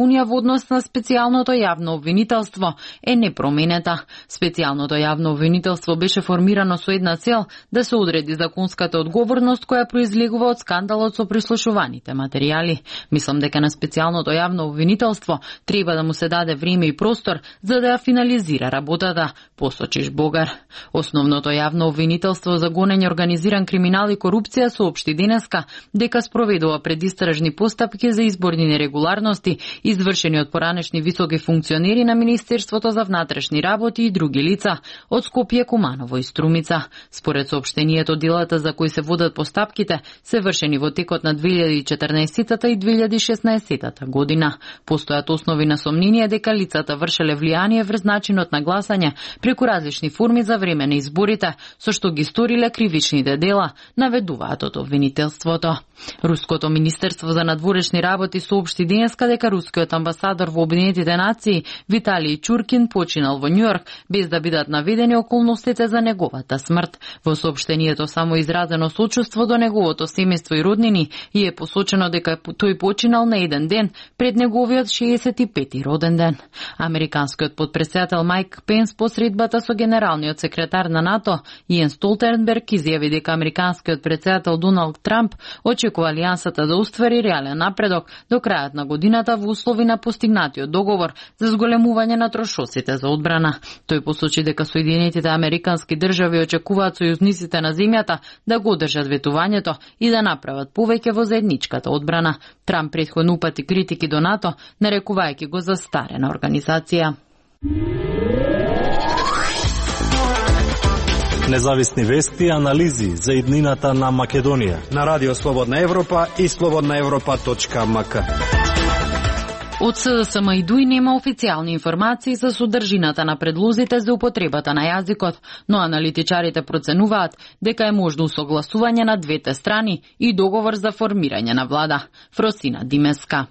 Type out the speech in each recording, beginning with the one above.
унија во однос на специјалното јавно обвинителство е непроменета. Специјалното јавно обвинителство беше формирано со една цел да се одреди законската одговорност која произлегува од скандалот со прислушуваните материјали. Мислам дека на специјалното јавно обвинителство треба да му се даде време и простор за да ја финализира работата, посочи Жбогар. Основното јавно обвинителство за гонење организиран криминал и корупција соопшти денеска дека спроведува предистражни постапки за изборни нерегуларности извршени од поранешни високи функционери на Министерството за внатрешни работи и други лица од Скопје, Куманово и Струмица. Според соопштението, делата за кои се водат постапките се вршени во текот на 2014 и 2016 година. Постојат основи на сомнение дека лицата вршеле влијание врз начинот на гласање преку различни форми за време на изборите, со што ги сториле кривичните дела, наведуваат од обвинителството. Руското Министерство за надворешни работи соопшти денеска дека рускиот амбасадор во Обединетите нации Виталий Чуркин починал во Њујорк без да бидат наведени околностите за неговата смрт. Во соопштението само изразено сочувство до неговото семејство и роднини и е посочено дека тој починал на еден ден пред неговиот 65-ти роден ден. Американскиот потпредседател Майк Пенс по средбата со генералниот секретар на НАТО Јенс Столтенберг изјави дека американскиот председател Доналд Трамп очекува алијансата да оствари реален напредок до крајот на годината во услови на постигнатиот договор за зголемување на трошоците за одбрана. Тој посочи дека Соединетите американски држави очекуваат сојузниците на земјата да го одржат ветувањето и да направат повеќе во заедничката одбрана. Трамп претходно упати критики до НАТО, нарекувајќи го за старена организација. Независни вести и анализи за иднината на Македонија на Радио Слободна Европа и slobodnaevropa.mk. Од СДСМ и ДУИ нема официјални информации за содржината на предлозите за употребата на јазикот, но аналитичарите проценуваат дека е можно усогласување на двете страни и договор за формирање на влада. Фросина Димеска.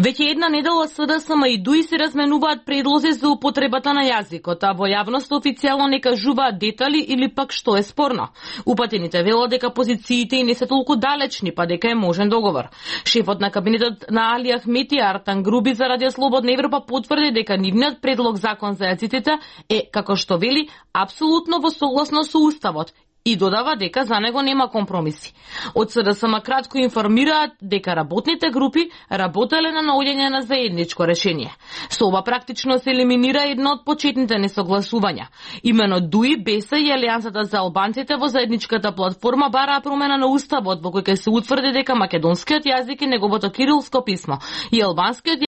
Веќе една недела СДСМ и ДУИ се разменуваат предлози за употребата на јазикот, а во јавност официјално не кажуваат детали или пак што е спорно. Упатените велат дека позициите не се толку далечни, па дека е можен договор. Шефот на кабинетот на Али Ахмети Артан Груби за Радио Слободна Европа потврди дека нивниот предлог закон за јазиците е, како што вели, апсолутно во согласно со Уставот и додава дека за него нема компромиси. Од СДСМ кратко информираат дека работните групи работеле на наоѓање на заедничко решение. Со ова практично се елиминира едно од почетните несогласувања. Имено ДУИ, БЕСА и Алијансата за албанците во заедничката платформа бараа промена на Уставот во кој ќе се утврди дека македонскиот јазик е неговото кирилско писмо и албанскиот